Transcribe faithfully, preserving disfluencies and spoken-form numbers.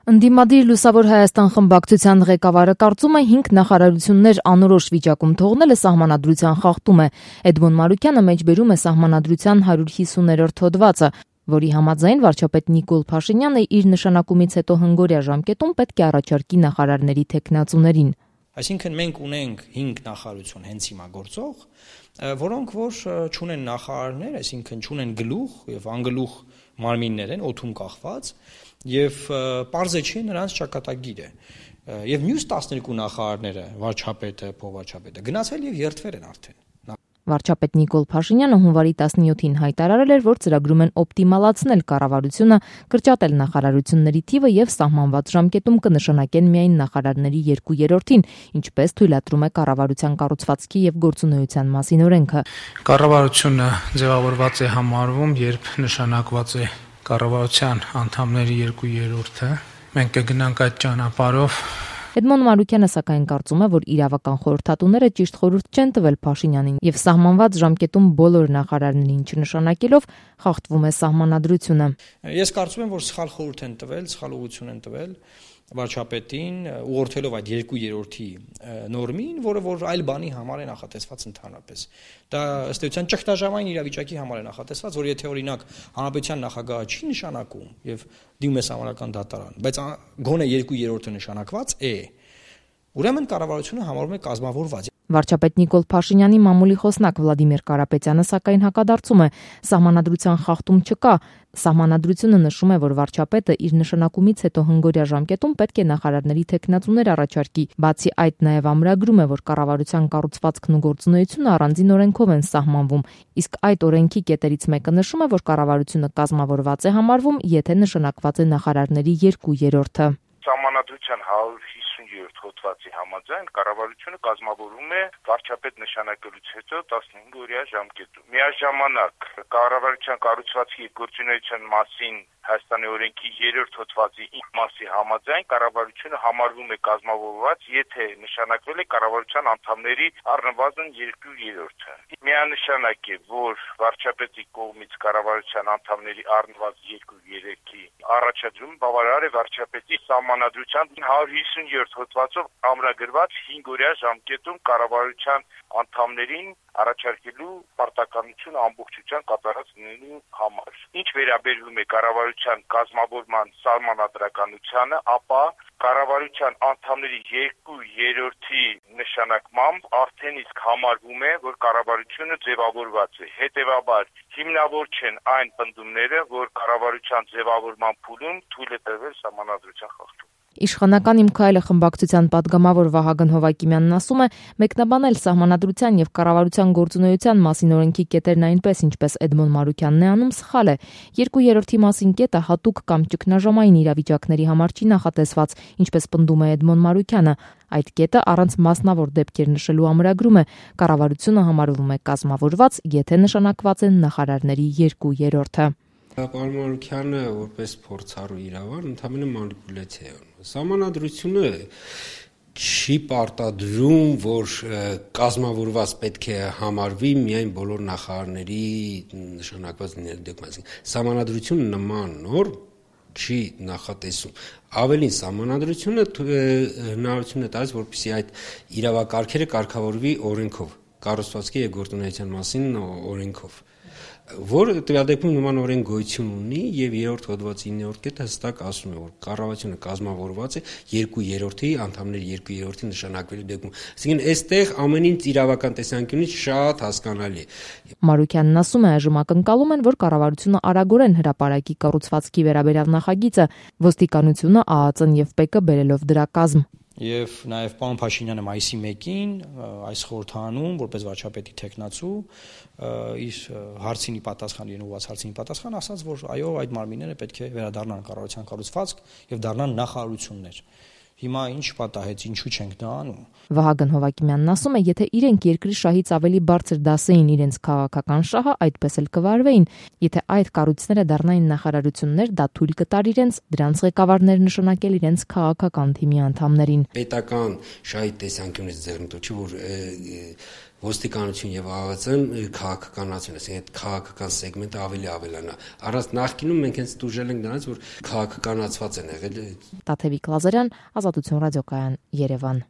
Ընդդիմադիր Լուսավոր Հայաստան խմբակցության ղեկավարը կարծում է հինգ նախարարություններ անորոշ վիճակում թողնելը սահմանադրության խախտում է։ Էդմոն Մարուկյանը մեջբերում է սահմանադրության հարյուր հիսուներորդ հոդվածը, որի համաձայն վարչապետ Նիկոլ Փաշինյանը իր նշանակումից հետո հնգօրյա ժամկետում պետք է առաջարկի նախարարների թեկնածուներին։ Այսինքն մենք ունենք հինգ նախարարություն հենց հիմա գործող, որոնք որ չունեն նախարարներ, այսինքն չունեն գլուխ եւ անգլուխ մարմիններ են օդում կախված եւ պարզե չի նրանց ճակատագիրը եւ մյուս տասներկու նախարարները վարչապետը, փոխվարչապետը գնացել եւ երթվել են արդեն։ Վարչապետ Նիկոլ Փաշինյանը հունվարի տասնյոթին հայտարարել էր, որ ծրագրում են օպտիմալացնել կառավարությունը, կրճատել նախարարությունների թիվը եւ սահմանված ժամկետում կնշանակեն միայն նախարարների երկու երրորդին, ինչպես թույլատրում է կառավարության կառուցվածքի եւ գործունեության մասին օրենքը։ Կառավարությունը ձևավորված է համարվում, երբ նշանակված է կառավարության անդամների երկու երրորդը։ Մենք կգնանք այդ ճանապարհով։ Էդմոն Մարուկյանը սակայն կարծում է, որ իրավական խորհրդատուները ճիշտ խորհուրդ չեն տվել Փաշինյանին եւ սահմանված ժամկետում բոլոր նախարարներին չնշանակելով խախտվում է սահմանադրությունը։ Ես կարծում եմ, որ սխալ խորհուրդ են տվել, սխալ ուղղություն են տվել վարչապետին, ուղղորդելով այդ երկու երրորդի նորմին, որը որ այլ բանի համար է նախատեսված ընդհանրապես։ Դա ըստ էության ճգնաժամային իրավիճակի համար է նախատեսված, որ եթե օրինակ հանրապետության նախագահը չի նշանակում եւ դիմում է սահմանական դատարան, բայց գոնե երկու երրորդը նշանակված է, ուրեմն կառավարությունը համարվում է կազմավորված։ Վարչապետ Նիկոլ Փաշինյանի մամուլի խոսնակ Վլադիմիր Կարապետյանը սակայն հակադարձում է, սահմանադրության խախտում չկա։ Սահմանադրությունը նշում է, որ վարչապետը իր նշանակումից հետո հնգօրյա ժամկետում պետք է նախարարների թեկնածուներ առաջարկի։ Բացի այդ, նաև ամրագրում է, որ կառավարության կառուցվածքն ու գործունեությունը առանձին օրենքով են սահմանվում, իսկ այդ օրենքի կետերից մեկը նշում է, որ կառավարությունը կազմավորված է համարվում, եթե նշանակված է նախարարների երկու երրորդը։ Սահմանադրության հարյուր հիսունյոթ հոդվածի համաձայն կառավարությունը կազմավորվում է վարչապետ նշանակելուց հետո տասնհինգօրյա ժամկետում։ Միաժամանակ կառավարության կառուցվածքի գործունեության մասին Հայաստանի օրենքի երրորդ հոդվածի մասի համաձայն կառավարությունը համարվում է կազմավորված, եթե նշանակվել է կառավարության անդամների առնվազն երկու երրորդը։ Միանշանակ է, որ վարչապետի կողմից կառավարության անդամների առնվազն երկու երրորդի առաջադրում բավարար է վարչապետի սահմանադրության հարյուր հիսունյոթ հոդվածով ամրագրված հինգօրյա ժամկետում կառավարության անդամներին առաջարկելու պարտականությունը ամբողջությամբ կատարած լինելու համար։ Ինչ վերաբերում է կառավարության կազմավորման սահմանադրականությանը, ապա կառավարության անդամների երկու երրորդի նշանակմամբ արդեն իսկ համարվում է, որ կառավարությունը ձևավորված է։ Հետևաբար հիմնավոր չեն այն պնդումները, որ կառավարության ձևավորման փուլում թույլ է տրվել սահմանադրության խախտում։ Իշխանական Իմ քայլը խմբակցության падգամավոր Վահագն Հովակիմյանն ասում է, մեկնաբանել սահմանադրության եւ կառավարության գործունեության մասին օրենքի կետերն այնպես, ինչպես Էդմոն Մարուկյանն է անում, սխալ է։ Երկու երրորդի մասին կետը հատուկ կամ ճգնաժամային իրավիճակների համար չի նախատեսված, ինչպես պնդում է Էդմոն Մարուկյանը։ Այդ կետը առանց մասնավոր դեպքեր նշելու ամրագրում է, կառավարությունը համարվում է կազմավորված, եթե նշանակված են նախարարների երկու երրորդը։ Պարոն Մարուկյանը որպես փորձառու իրավար ընդհանրապես մանիպուլյացիա է անում։ Սահմանադրությունը չի պարտադրում, որ կազմավորված պետք է համարվի միայն բոլոր նախարարների նշանակված լինելու դեպքում։ Սահմանադրությունը նման նորմ չի նախատեսում։ Ավելին, սահմանադրությունը հնարավորություն է տալիս, որպեսզի այդ իրավակարգերը կարգավորվի օրենքով, կառուցվածքի եւ գործունեության մասին օրենքով, որ տվյալ դեպքում նման օրենք գոյություն ունի եւ երրորդ հոդվածի իններորդ կետը հստակ ասում է, որ կառավարությունը կազմավորված է երկու երրորդի անդամների երկու երրորդի նշանակվելու դեպքում։ Այսինքն այստեղ ամեն ինչ իրավական տեսանկյունից շատ հասկանալի է։ Մարուկյանն ասում է, այժմ ակնկալում են, որ կառավարությունը արագորեն հրապարակի կառուցվածքի վերաբերյալ նախագիծը, ոստիկանությունը, ԱԱԾ-ն եւ ՊԵԿ-ը բերելով դրա կազմ։ Եվ նաև պարոն Փաշինյանը մայիսի մեկին այս խորհրդանում որպես վարչապետի թեկնածու իր հարցինի պատասխան իրեն ուղղված հարցինի պատասխան ասաց, որ այո, այդ մարմինները պետք է վերադառնան կառավարության կառուցվածք եւ դառնան նախարարություններ։ Հիմա ինչ պատահեց, ինչու չենք դա անում։ Վահագն Հովակիմյանն ասում է, եթե իրենք երկրի շահից ավելի բարձր դասեին իրենց քաղաքական շահը, այդպես էլ կվարվեին։ Եթե այդ կառույցները դառնային նախարարություններ, դա թույլ կտար իրենց դրանց ղեկավարներ նշանակել իրենց քաղաքական թիմի անդամներին։ Պետական շահի տեսանկյունից ձեռնտու չի, որ ոստիկանություն եւ ԱՎԾ-ն քաղաքականացին, այսինքն այդ քաղաքական սեգմենտը ավելի ավելանա։ Առանց նախկինում մենք հենց դուժել ենք նրանց, որ քաղաքականացված են եղել։ Տաթևիկ Լազարյան, Ազատություն ռադիոկայան, Երևան։